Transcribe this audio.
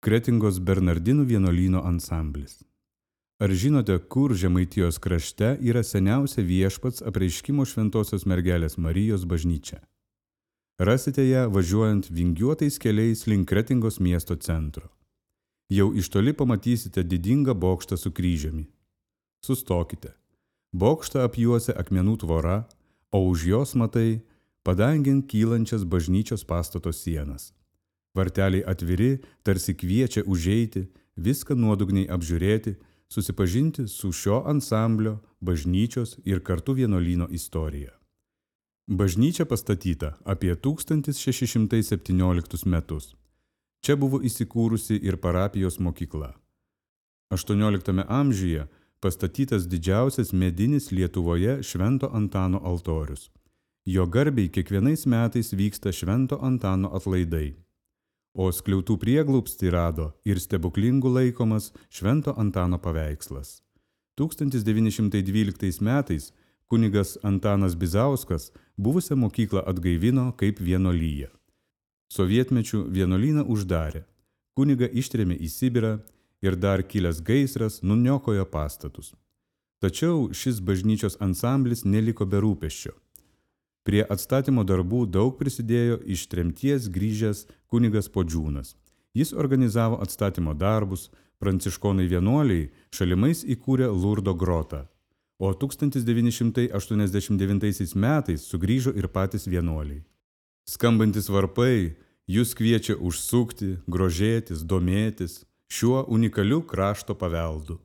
Kretingos Bernardinų vienuolyno ansamblis. Ar žinote, kur Žemaitijos krašte yra seniausia Viešpats Apreiškimo Šventosios mergelės Marijos bažnyčia? Rasite ją važiuojant vingiuotais keliais link Kretingos miesto centro. Jau iš toli pamatysite didingą bokštą su kryžiumi. Sustokite. Bokštą apjuosia akmenų tvora, o už jos matai padangin kylančias bažnyčios pastato sienas. Varteliai atviri, tarsi kviečia užeiti, viską nuodugniai apžiūrėti, susipažinti su šio ansamblio, bažnyčios ir kartu vienuolyno istorija. Bažnyčia pastatyta apie 1617 metus. Čia buvo įsikūrusi ir parapijos mokykla. 18 amžiuje pastatytas didžiausias medinis Lietuvoje Švento Antano altorius. Jo garbei kiekvienais metais vyksta Švento Antano atlaidai. O skliautų prieglobstį rado ir stebuklingų laikomas Švento Antano paveikslas. 1912 metais kunigas Antanas Bizauskas buvusią mokyklą atgaivino kaip vienuolyją. Sovietmečiu vienuolyną uždarė, kunigą ištrėmė į Sibirą ir dar kilęs gaisras nuniokojo pastatus. Tačiau šis bažnyčios ansamblis neliko be rūpesčio. Prie atstatymo darbų daug prisidėjo iš tremties grįžęs kunigas Podžiūnas. Jis organizavo atstatymo darbus, pranciškonai vienuoliai šalimais įkūrė Lurdo grotą, o 1989 metais sugrįžo ir patys vienuoliai. Skambantis varpai jūs kviečia užsukti, grožėtis, domėtis šiuo unikaliu krašto paveldu.